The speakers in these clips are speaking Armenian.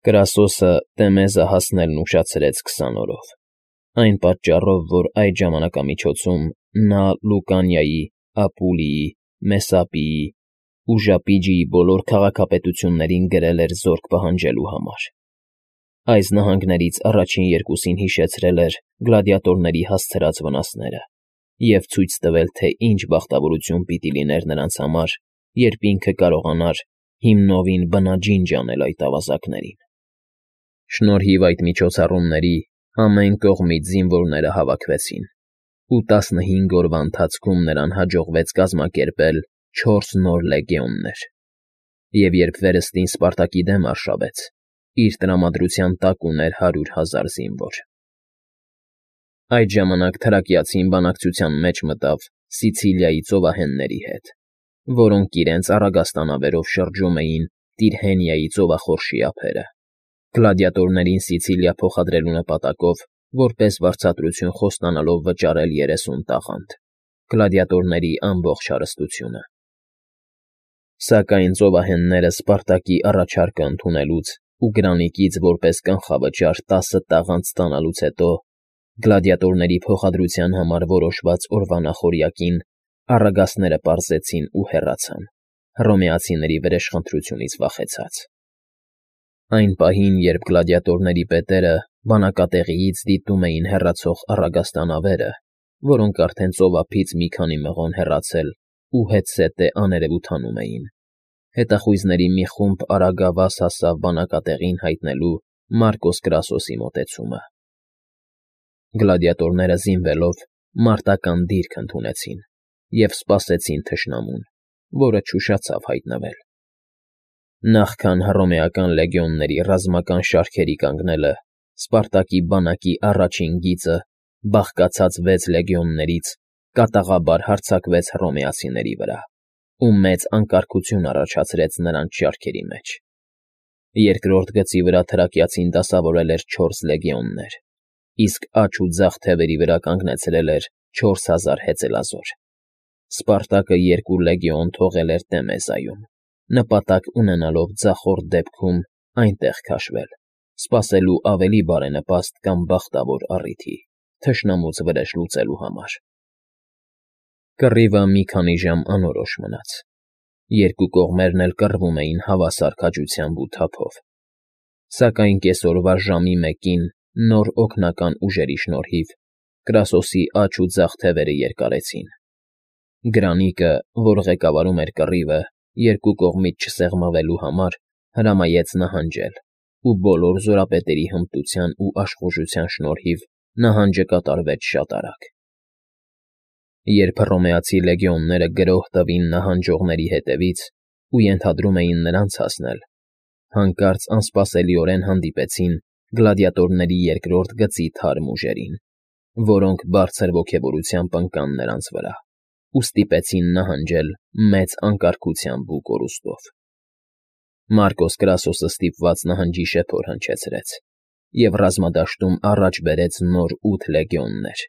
Կրասոսը Տեմեզը հասնելն ուշացրեց 20 օրով, այն պատճառով, որ այդ ժամանակամիջոցում նա Լուկանիայի, Ապուլիի, Մեսապիի ու Ժապիջիի բոլոր քաղաքապետություններին գրել էր զորք պահանջելու համար։ Այս նահանգներից առաջին երկուսին հիշեցրել էր գլադիատորների հասցրած վնասները և ցույց տվել, թե ինչ բախտավորություն պիտի լիներ նրանց համար, երբ ինքը կարողանար հիմնովին բնաջինջ անել այդ ավազակներին։ Շնորհիվ այդ միջոցառումների ամեն կողմից զինվորները հավաքվեցին, ու 15 օրվա ընթացքում նրան հաջողվեց կազմակերպել 4 նոր լեգիոններ։ Եվ երբ վերստին Սպարտակի դեմ արշավեց, իր տրամադրության տակ ուներ 100,000 զինվոր։ Այդ ժամանակ թրակիացին բանակցության մեջ մտավ Սիցիլիայի ծովահենների հետ, որոնք իրենց առագաստանավերով շրջում էին Տիրհենիայի ծովախորշի ափերը, գլադիատորներին Սիցիլիա փոխադրելու նպատակով, որպես վարձատրություն խոստանալով վճարել 30 տաղանդ, գլադիատորների ամբողջ հարստությունը։ Սակայն ծովահենները Սպարտակի առաջարկը ընդունելուց ու Գրանիկից որպես կանխավճար 10 տաղանդ ստանալուց հետո գլադիատորների փոխադրության համար որոշված օրվա նախօրյակին առագաստները պարզեցին ու հեռացան, հռոմեացիների վրեժխնդրությունից վախեցած։ Այն պահին, երբ գլադիատորների պետերը բանակատեղիից դիտում էին հեռացող առագաստանավերը, որոնք արդեն ծովափից մի քանի մղոն հեռացել ու հետզհետե աներևութանում էին, հետախույզների մի խումբ արագավազ հասավ բանակատեղին հայտնելու Մարկոս Կրասոսի մոտեցումը։ Գլադիատորները զինվելով մարտական դիրք ընդունեցին և սպասեցին թշնամուն, որը չուշացավ հայտնվել։ Նախքան հռոմեական լեգիոնների ռազմական շարքերի կանգնելը Սպարտակի բանակի առաջին գիծը բաղկացած 6 լեգիոններից կատաղաբար հարձակվեց հռոմեացիների վրա ու մեծ անկարգություն առաջացրեց նրանց շարքերի մեջ։ Երկրորդ գծի վրա թրակիացին դասավորել էր 4 լեգիոններ, իսկ աջ ու ձախ թևերի վրա կանգնեցրել էր 4000 հեծելազոր։ Սպարտակը 2 լեգիոն թողել էր Տեմեզայում, նպատակ ունենալով ձախորդ դեպքում այնտեղ քաշվել, սպասելու ավելի բարենպաստ կամ բախտավոր առիթի՝ թշնամուց վրեժ լուծելու համար։ Կռիվը մի քանի ժամ անորոշ մնաց։ Երկու կողմերն էլ կռվում էին հավասար քաջությամբ ու թափով։ Սակայն կեսօրվա ժամի 1-ին նոր օգնական ուժերի շնորհիվ Կրասոսի աջ ու ձախ թևերը երկարեցին։ Գրանիկը, որ ղեկավարում էր կռիվը, երկու կողմից չսեղմվելու համար, հրամայեց նահանջել, ու բոլոր զորապետերի հմտության ու աշխուժության շնորհիվ նահանջը կատարվեց շատ արագ։ Երբ հռոմեացի լեգիոնները գրոհ տվին նահանջողների հետևից ու ենթադրում էին նրանց հասնել, հանկարծ անսպասելիորեն հանդիպեցին գլադիատորների երկրորդ գծի թարմ ուժերին, որոնք բարձր ոգևորությամբ ընկան նրանց վրա ու ստիպեցին նահանջել մեծ անկարգությամբ ու կորուստով։ Մարկոս Կրասոսը ստիպված նահանջի շեփոր հնչեցրեց և ռազմադաշտում առաջ բերեց նոր 8 լեգիոններ,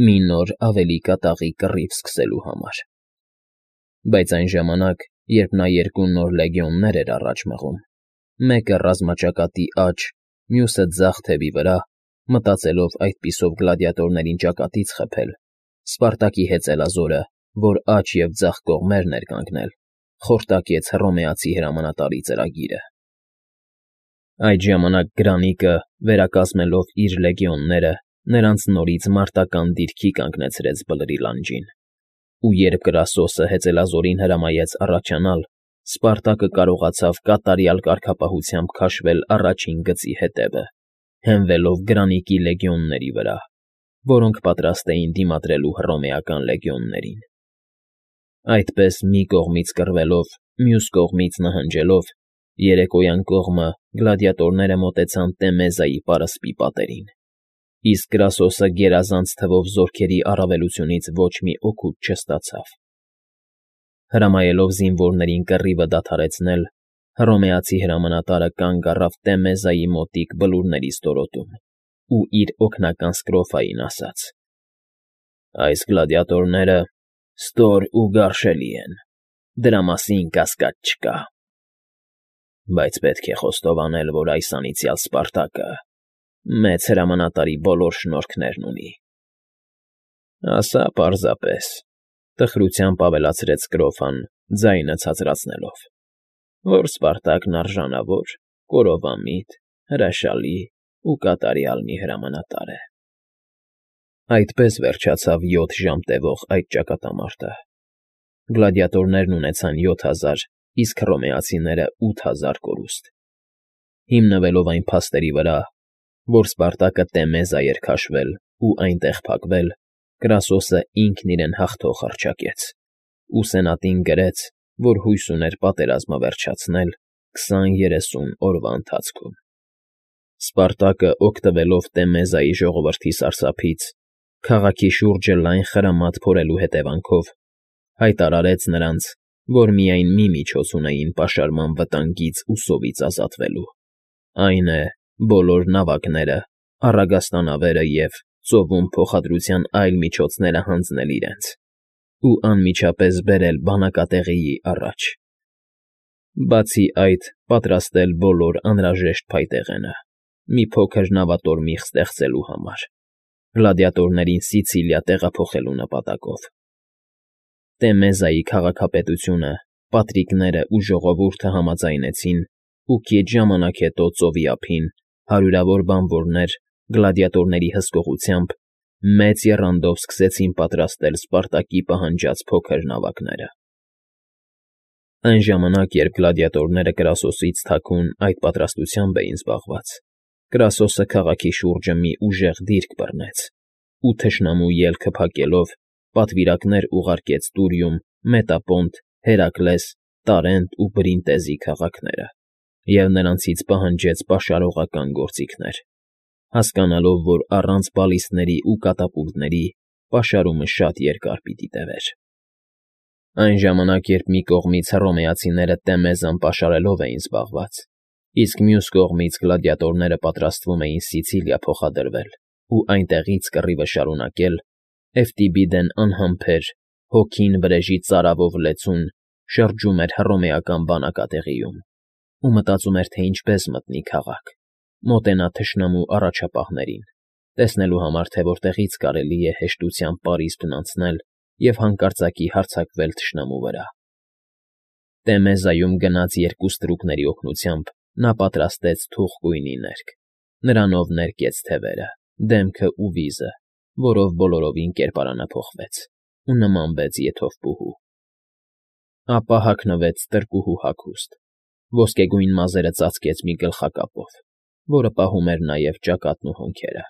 մի նոր ավելի կատաղի կռիվ սկսելու համար։ Բայց այն ժամանակ, երբ նա 2 նոր լեգիոններ էր առաջ մղում, մեկը ռազմաճակատի աջ, մյուսը ձախ թևի վրա, մտածելով այդպիսով գլադիատորներին ճակատից խփել, Սպարտակի հեծելազորը, որ աջ և ձախ կողմերն էր կանգնել, խորտակեց հռոմեացի հրամանատարի ծրագիրը։ Այդ ժամանակ Գրանիկը, վերակազմելով իր լեգիոնները, նրանց նորից մարտական դիրքի կանգնեցրեց բլրի լանջին, ու երբ Կրասոսը հեծելազորին հրամայեց առաջանալ, Սպարտակը կարողացավ կատարյալ կարգապահությամբ քաշվել առաջին գծի հետևը, հենվելով Գրանիկի լեգիոնների վրա, որոնք պատրաստ էին դիմադրելու հռոմեական լեգիոններին։ Այդպես մի կողմից կռվելով, մյուս կողմից նահանջելով, երեկոյան կողմը գլադիատորները մոտեցան Տեմեզայի պարսպի պատերին, իսկ Կրասոսը գերազանց թվով զորքերի առավելությունից ոչ մի օգուտ չստացավ։ Հրամայելով զինվորներին կռիվը դադարեցնել, հռոմեացի հրամանատարը կանգ առավ Տեմեզայի մոտիկ բլուրների ստորոտում ու իր օգնական Սկրոֆային ասաց. «Այս գլադիատորները ստոր ու գարշելի են, դրա մասին կասկած չկա»։ Բայց պետք է խոստովանել, որ այս անիծյալ Սպարտակը մեծ հրամանատարի բոլոր շնորհքներն ունի։ Ասա պարզապես, տխրությամբ ավելացրեց Կրոֆան, ձայնը ցածրացնելով, որ Սպարտակն արժանավոր, կորովամիտ, հրաշալի ու կատարյալ մի հրամանատար է։ Այդպես վերջացավ 7 ժամ տևող այդ ճակատամարտը։ Գլադիատորներն ունեցան 7000, իսկ հռոմեացիները 8000 կորուստ։ Հիմնվելով այն փաստերի վրա, որ Սպարտակը Տեմեզա էր քաշվել ու այնտեղ փակվել, Կրասոսը ինքն իրեն հաղթող հռչակեց ու սենատին գրեց, որ հույս ուներ պատերազմը վերջացնել 20-30 օրվա ընթացքում։ Սպարտակը, օգտվելով Տեմեզայի ժողովրդի սարսափից, քաղաքի շուրջը լայն խրամատ փորելու հետևանքով, հայտարարեց նրանց, որ միայն մի միջոց ունեին պաշարման վտանգից ու սովից ազատվելու, այն է, բոլոր նավակները, առագաստանավերը և ծովում փոխադրության այլ միջոցները հանձնել իրենց ու անմիջապես բերել բանակատեղիի առաջ։ Բացի այդ, պատրաստել բոլոր անհրաժեշտ փայտեղենը մի փոքր նավատորմիղ ստեղծելու համար, գլադիատորներին Սիցիլիա տեղափոխելու նպատակով։ Տեմեզայի քաղաքապետությունը, պատրիկները ու ժողովուրդը համաձայնեցին ու քիչ ժամանակ հետո ծովի ափին հարյուրավոր բանվորներ գլադիատորների հսկողությամբ մեծ եռանդով սկսեցին պատրաստել Սպարտակի պահանջած փոքր նավակները։ Այն ժամանակ, երբ գլադիատորները Կրասոսից թաքուն այդ պատրաստությամբ էին զբաղված, Կրասոսը քաղաքի շուրջը մի ուժեղ դիրք բռնեց ու թշնամու ելքը փակելով պատվիրակներ ուղարկեց Տուրիում, Մետապոնտ, Հերակլես, Տարենտ ու Բրինտեզի քաղաքները և նրանցից պահանջեց պաշարողական գործիքներ, հասկանալով, որ առանց բալիստների ու կատապուլտների պաշարումը շատ երկար պիտի տևեր։ Այն ժամանակ, երբ մի կողմից հռոմեացիները Տեմեզան պաշարելով էին զբաղված, իսկ մյուս կողմից գլադիատորները պատրաստվում էին Սիցիլիա փոխադրվել ու այնտեղից կռիվը շարունակել, Էվտիբիդեն անհամբեր, հոգին վրեժի ծարավով լեցուն, շրջում էր հռոմեական բանակատեղիում ու մտածում էր, թե ինչպես մտնի քաղաք, մոտենա թշնամու առաջապահներին, տեսնելու համար, թե որտեղից կարելի է հեշտությամբ պարիսպն անցնել և հանկարծակի հարձակվել թշնամու վրա։ Տեմեզայում գնած 2 ստրուկների օգնությամբ նա պատրաստեց թուխկույնի ներք, նրանով ներկեց թևերը, դեմքը ու վիզը, որով բոլորովին կերպարանափոխվեց ու նմանվեց եթովպուհու։ Ապա հագնվեց տրկուհու հագուստ, ոսկեգույն մազերը ծածկեց մի գլխակապով, որը պահում էր նաև ճակատն ու հոնքերը։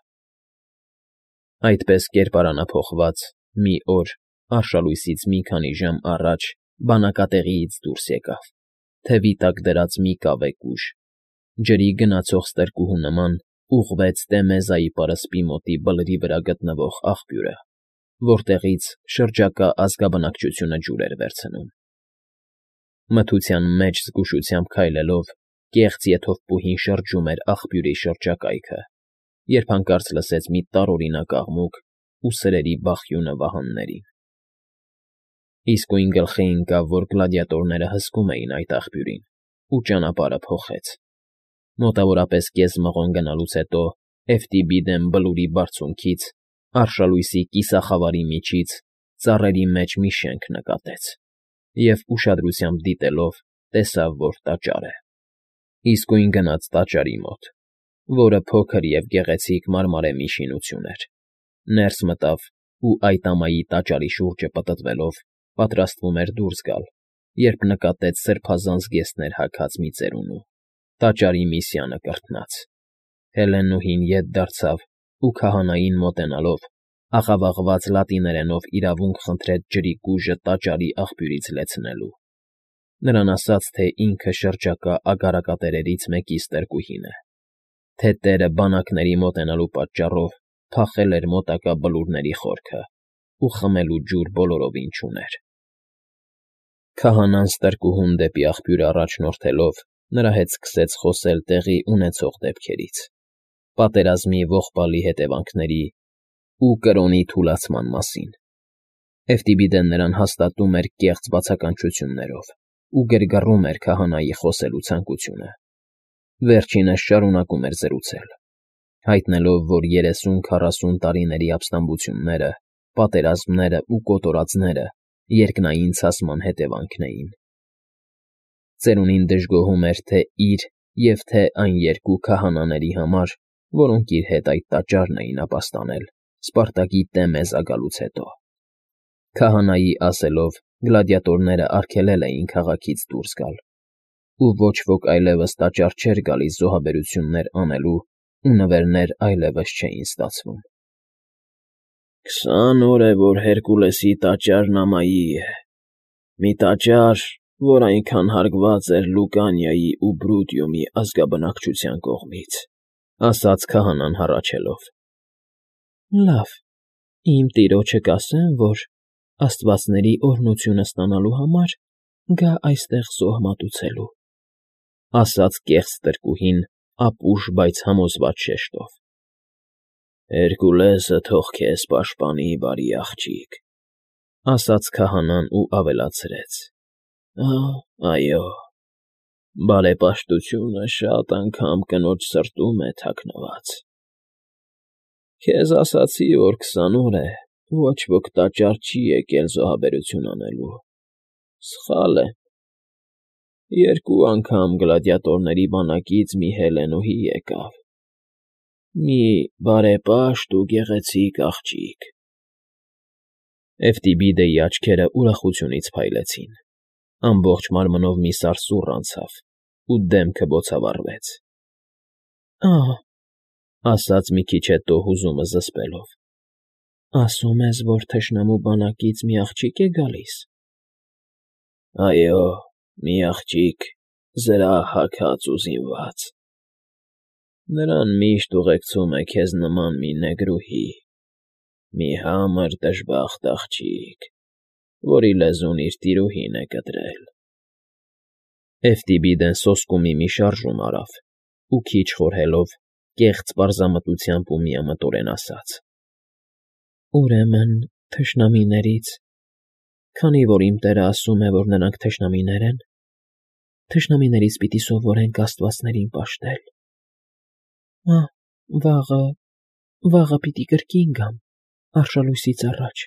Այդպես կերպարանափոխված, մի օր, արշալույսից մի քանի ժամ առաջ բանակատեղիից դուրս եկավ, թևի տակ դրած մի կավեկ ուժ, ջրի գնացող ստրկուհու նման ուղղվեց Տեմեզայի պարսպի մոտի բլրի վրա գտնվող աղբյուրը, որտեղից շրջակա ազգաբնակչությունը ջուր էր վերցնում։ Մթության մեջ զգուշությամբ քայլելով, կեղծ եթովպուհին շրջում էր աղբյուրի շրջակայքը, երբ հանկարծ լսեց մի տարօրինակ աղմուկ ու սրերի բախյունը վահաններին։ Իսկույն գլխի ընկավ, որ գլադիատորները հսկում էին այդ աղբյուրին ու ճանապարհը փոխեց։ Մոտավորապես կես մղոն գնալուց հետո Էվտիբիդեն բլուրի բարձունքից, արշալույսի կիսախավարի միջից ծառերի մեջ մի շենք նկատեց և, ուշադրությամբ դիտելով, տեսավ, որ տաճար է։ Իսկույն գնաց տաճարի մոտ, որը փոքր և գեղեցիկ մարմարեմի շինություն էր, ներս մտավ ու այդ ամայի տաճարի շուրջը պտտվելով պատրաստվում էր դուրս գալ, երբ նկատեց սրբազան զգեստներ հագած մի ծերունու, տաճարի մի սյանը կրթնած։ Հելենուհին ետ դարձավ ու քահանային մոտենալով աղավաղված լատիներենով իրավունք խնդրեց ջրի կուժը տաճարի աղբյուրից լեցնելու։ Նրան ասաց, թե ինքը շրջակա ագարակատերերից մեկի ստրկուհին է, թե տերը բանակների մոտենալու պատճառով փախել էր մոտակա բլուրների խորքը ու խմելու ջուր բոլորովին չուներ։ Քահանան ստրկուհուն դեպի աղբյուրը առաջնորդելով նրա հետ սկսեց խոսել տեղի ունեցող դեպքերից, պատերազմի ողբալի հետևանքների ու կրոնի թուլացման մասին։ Էվտիբիդեն նրան հաստատում էր կեղծ բացականչություններով ու գրգռում էր քահանայի խոսելու ցանկությունը։ Վերջինս շարունակում էր զրուցել, հայտնելով, որ 30-40 տարիների ապստամբությունները, պատերազմները ու կոտորածները երկնային ցասման հետևանքն էին։ Ծերունին դժգոհում էր թե իր և թե այն երկու քահանաների համար, որոնք իր հետ այդ տաճարն էին ապաստանել Սպարտակի Տեմեզ գալուց հետո։ Քահանայի ասելով, գլադիատորները արգելել էին քաղաքից դուրս գալ, ու ոչ ոք այլևս տաճար չէր գալիս զոհաբերություններ անելու, ու նվերներ այլևս չէին ստացվում։ 20 օր է, որ Հերկուլեսի տաճարն ամայի է, մի տաճար, որ այնքան հարգված էր Լուկանիայի ու Բրուտիումի ազգաբնակչության կողմից, ասաց քահանան հառաչելով։ Լավ, իմ տիրոջը կասեմ, որ աստվածների օրհնությունը ստանալու համար գա այստեղ զոհ մատուցելու, ասաց կեղծ տրկուհին ապուշ, բայց համոզված շեշտով։ Հերկուլեսը թող քեզ պաշտպանի, բարի աղջիկ, ասաց քահանան ու ավելացրեց. Այո, բարեպաշտությունը շատ անգամ կնոջ սրտում է թաքնված։ Քեզ ասացի, որ 20 օր է, ոչ ոք տաճար չի եկել զոհաբերություն անելու։ Սխալ եմ։ 2 անգամ գլադիատորների բանակից մի հելենուհի եկավ։ Մի բարեպաշտ ու գեղեցիկ աղջիկ։ Էվտիբիդեի աչքերը ուրախությունից փայլեցին, ամբողջ մարմնով մի սարսուռ անցավ, ու դեմքը բոցավառվեց։ Ասաց մի քիչ հետո հուզումը զսպելով. Ասում ես, որ թշնամու բանակից մի աղջիկ է գալիս։ Այո, մի աղջիկ, զրահ-հագած ու զինված։ Նրան միշտ ուղեկցում է քեզ նման մի նեգրուհի, մի համր դժբախտ աղջիկ, որի լեզուն իր տիրուհին է կտրել։ Էվտիբիդեն սոսկումի մի շարժում արավ ու քիչ խորհելով, կեղծ պարզամտությամբ ու միամտորեն ասաց. Ուրեմն թշնամիներից, քանի որ իմ տերը ասում է, որ նրանք թշնամիներ են, թշնամիներից պիտի սովորենք աստվածներին պաշտել։ Վաղը պիտի կրկին գամ, արշալույսից առաջ,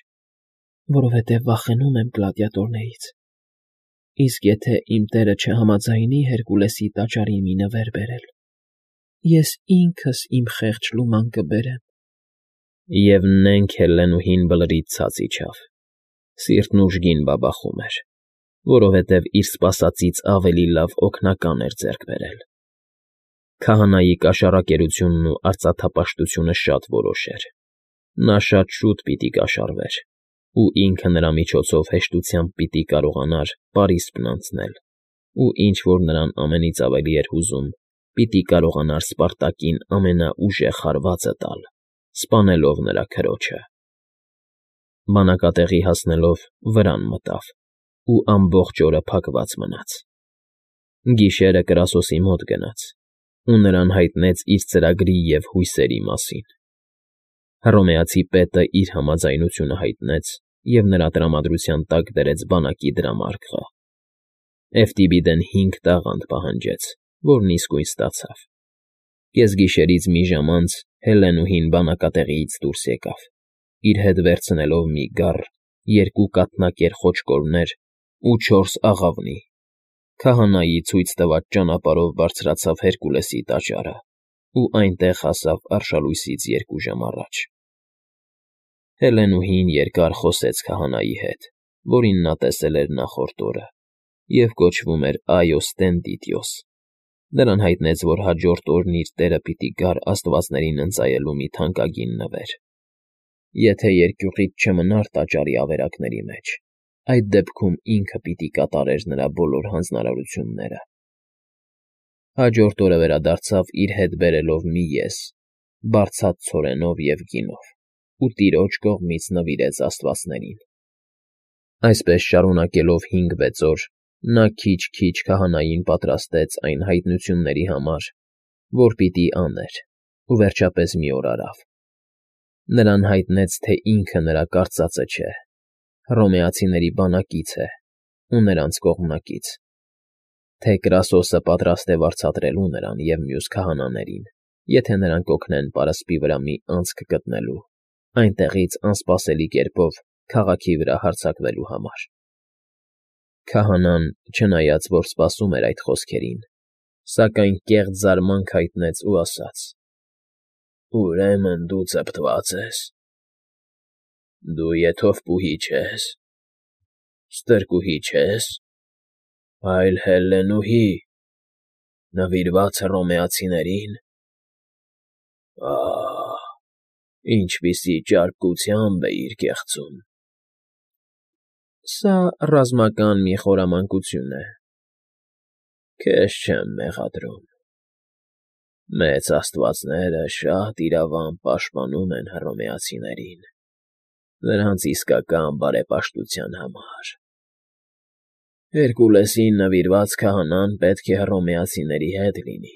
որովհետև վախենում եմ գլադիատորներից։ Իսկ եթե իմ տերը չհամաձայնի Հերկուլեսի տաճարին մի նվեր բերել, ես ինքս իմ խեղճ լուման կբերեմ։ Եվ նենք հելլենուհին բլրից ցած իջավ, սիրտն ուժգին բաբախում էր, որովհետև իր սպասածից ավելի լավ օգնական էր ձեռք բերել։ Քահանայի կաշառակերությունն ու արծաթապաշտությունը շատ որոշ էր։ Նա շատ շուտ պիտի կաշառվեր, ու ինքը նրա միջոցով հեշտությամբ պիտի կարողանար պարիսպն անցնել, ու ինչ որ նրան ամենից ավելի էր հուզում, պիտի կարողանար Սպարտակին ամենաուժեղ հարվածը տալ, սպանելով նրա քրոջը։ Բանակատեղի հասնելով վրան մտավ, ու ամբողջ օրը փակված մնաց։ Գիշերը Կրասոսի մոտ գնաց, ու նրան հայտնեց իր ծրագրի և հույսերի մասին։ Հռոմեացի պետը իր համաձայնությունը հայտնեց և նրա տրամադրության տակ դրեց բանակի դրամարկղը։ Էվտիբիդեն 5 տաղանդ պահանջեց, որն իսկույն ստացավ։ Կեսգիշերից մի ժամ անց Հելլենուհին բանակատեղիից դուրս եկավ, իր հետ վերցնելով մի գառ, 2 կաթնակեր խոչկորներ ու 4 աղավնի։ Քահանայի ցույց տված ճանապարհով բարձրացավ Հերկուլեսի տաճարը ու այնտեղ հասավ արշալույսից 2 ժամ առաջ։ Հելլենուհին երկար խոսեց քահանայի հետ, որին նա տեսել էր նախորդ օրը, և կոչվում էր Այոս Տենտիտիոս։ Նրան հայտնեց, որ հաջորդ օրն իր տերը պիտի գար աստվածներին ընծայելու մի թանկագին նվեր։ Եթե երկյուղից չմնար տաճարի ավերակների մեջ, այդ դեպքում ինքը պիտի կատարեր նրա բոլոր հանձնարարությունները։ Հաջորդ օրը վերադարձավ իր հետ բերելով մի ես, բարձած ցորենով և գինով, ու տիրոջ կողմից նվիրեց աստվածներին։ Այսպես շարունակելով 5-6 օր, նա քիչ-քիչ քահանային պատրաստեց այն հայտնությունների համար, որ պիտի աներ, ու վերջապես մի օր արավ։ Նրան հայտնեց, թե ինքը նրա կարծածը չէ, հռոմեացիների բանակից է ու նրանց կողմնակից, թե Կրասոսը պատրաստ է վարձատրելու նրան և մյուս քահանաներին, եթե նրանք օգնեն պարսպի վրա մի անցք գտնելու, այնտեղից անսպասելի կերպով քաղաքի վրա հարձակվելու համար։ Քահանան, չնայած որ սպասում էր այդ խոսքերին, սակայն կեղծ զարմանք հայտնեց ու ասաց. «Ուրեմն դու ծպտված ես, դու եթովպուհի չես, ստրկուհի չես, այլ հելլենուհի, նվիրված Հռոմեացիներին. ահ, ինչպիսի ճարպկությամբ էիր կեղծում»։ Սա ռազմական մի խորամանկություն է, քեզ չեմ մեղադրում։ Մեծ աստվածները շատ իրավամբ պաշտպանում են հռոմեացիներին, նրանց իսկական բարեպաշտության համար։ Հերկուլեսին նվիրված քահանան պետք է հռոմեացիների հետ լինի։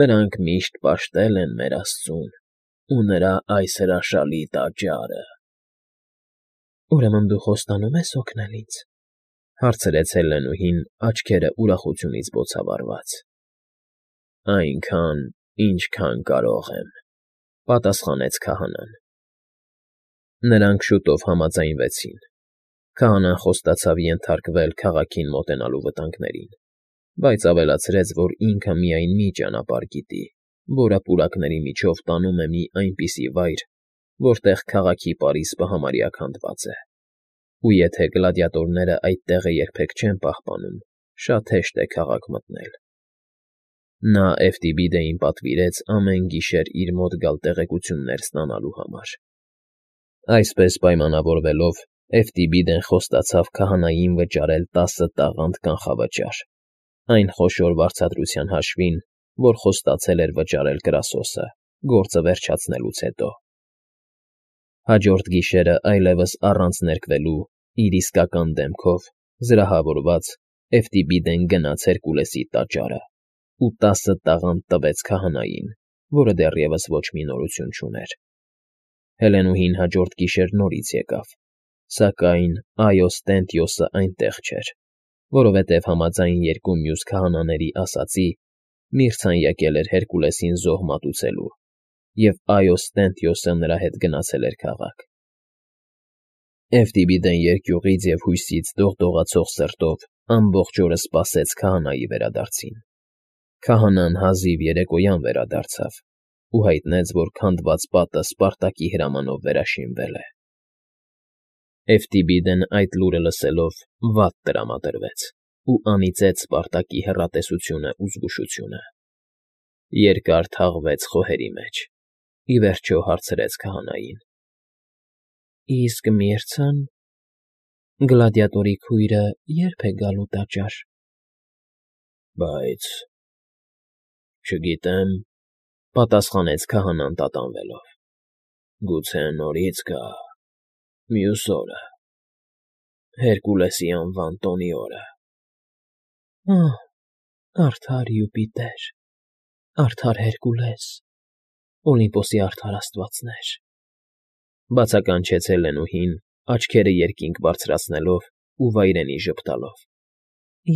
Նրանք միշտ պաշտել են մեր Աստծուն ու նրա այս հրաշալի տաճարը։ «Ուրեմն դու խոստանում ես օգնել ինձ», հարցրեց Հելլենուհին, աչքերը ուրախությունից բոցավառված։ «Այնքան, ինչքան կարող եմ», պատասխանեց քահանան։ Նրանք շուտով համաձայնվեցին։ Քահանան խոստացավ ենթարկվել քաղաքին մոտենալու վտանգներին, բայց ավելացրեց, որ ինքը միայն մի ճանապարհ գիտի, որը պուրակների միջով տանում է մի այնպիսի վայր, որտեղ քաղաքի պարիսպը համարյա քանդված է, ու եթե գլադիատորները այդ տեղը երբեք չեն պահպանում, շատ հեշտ է քաղաք մտնել։ Նա Էվտիբիդեին պատվիրեց ամեն գիշեր իր մոտ գալ տեղեկություններ ստանալու համար։ Այսպես պայմանավորվելով, Էվտիբիդեն խոստացավ քահանային վճարել 10 տաղանդ կանխավճար, այն խոշոր վարձատրության հաշվին, որ խոստացել էր վճարել Կրասոսը, գործը վերջացնելուց հետո։ Հաջորդ գիշերը այլևս առանց ներկվելու, իր իսկական դեմքով, զրահավորված, Էվտիբիդեն գնաց Հերկուլեսի տաճարը ու 10 տաղանդ տվեց քահանային, որը դեռևս ոչ մի նորություն չուներ։ Հելենուհին հաջորդ գիշեր նորից եկավ, սակայն Այոս Տենտիոսը այնտեղ չէր, որովհետև համաձայն երկու մյուս քահանաների ասացի, Միրցան եկել էր Հերկուլեսին զոհ մատուցելու, և Այոս Տենտիոսը նրա հետ գնացել էր քաղաք։ Էվտիբիդեն երկյուղից և հույսից դողդողացող սրտով ամբողջ օրը սպասեց քահանայի վերադարձին։ Քահանան հազիվ երեկոյան վերադարձավ ու հայտնեց, որ քանդված պատը Սպարտակի հրամանով վերաշինվել է։ Էվտիբիդեն այդ լուրը լսելով վատ տրամադրվեց ու անիծեց Սպարտակի հեռատեսությունն ու զգուշությունը։ Երկար թաղվեց խոհերի մեջ, ի վերջո հարցրեց քահանային. «Իսկ Միրցան, գլադիատորի քույրը ե՞րբ է գալու տաճար»։ «Բայց չգիտեմ», պատասխանեց քահանան տատանվելով։ «Գուցե նորից գա, մյուս օրը, Հերկուլեսի անվան տոնի օրը»։ «Ահ, արդար Յուպիտեր, արդար Հերկուլես, Օլիմպոսի արդար աստվածներ», բացականչեց Հելլենուհին, աչքերը երկինք բարձրացնելով ու վայրենի ժպտալով։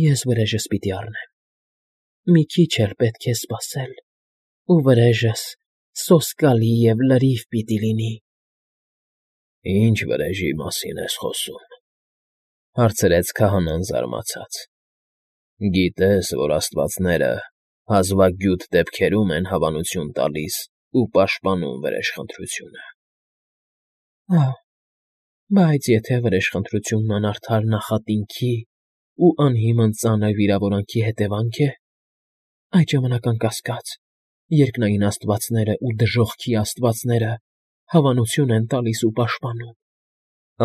«Ես վրեժս պիտի առնեմ, մի քիչ էլ պետք է սպասել, ու վրեժս սոսկալի և լրիվ պիտի լինի»։ «Ի՞նչ վրեժի մասին ես խոսում», հարցրեց քահանան զարմացած։ «Գիտես, որ աստվածները հազվագյուտ դեպքերում են հավանություն տալիս ու պաշտպանում վրեժխնդրությունը»։ «Ահ, բայց եթե վրեժխնդրությունն անարդար նախատինքի ու անհիմն ծանր վիրավորանքի հետևանք է, այդ ժամանակ, անկասկած, երկնային աստվածները ու դժոխքի աստվածները հավանություն են տալիս ու պաշտպանում»,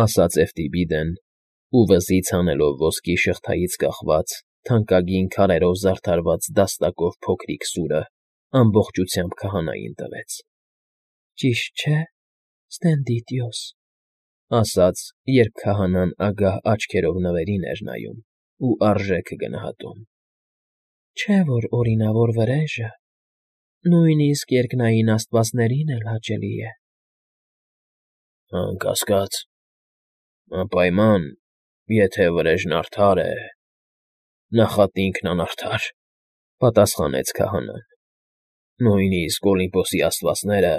ասաց Էվտիբիդեն ու վզից հանելով ոսկի շղթայից կախված, թանկագին քարերով զարդարված դաստակով փոքրիկ սուրը ամբողջությամբ քահանային տվեց։ «Ճիշտ չէ, Ստենդիդիոս», ասաց, երբ քահանան ագահ աչքերով նվերին էր նայում ու արժեքը գնահատում։ «Չէ՞ որ օրինավոր վրեժը նույնիսկ երկնային աստվածներին էլ հաճելի է»։ «Անկասկած, անպայման, եթե վրեժն արդար է, Նախատինքն անարդար,֊ պատասխանեց քահանան։ Նույնիսկ Օլիմպոսի աստվածները,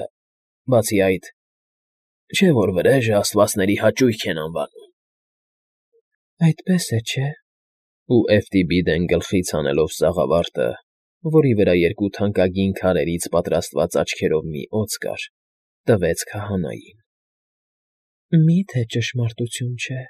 բացի այդ, չէ՞ որ վրեժը աստվածների հաճույք են անվանում։ ֊ Այդպես է, չէ՞… Ու Էֆտիբիդեն գլխից հանելով սաղավարտը, որի վրա երկու թանկագին քարերից պատրաստված աչքերով մի օձ կար, տվեց քահանային։ ֊ Մի՞թե ճշմարտություն չէ։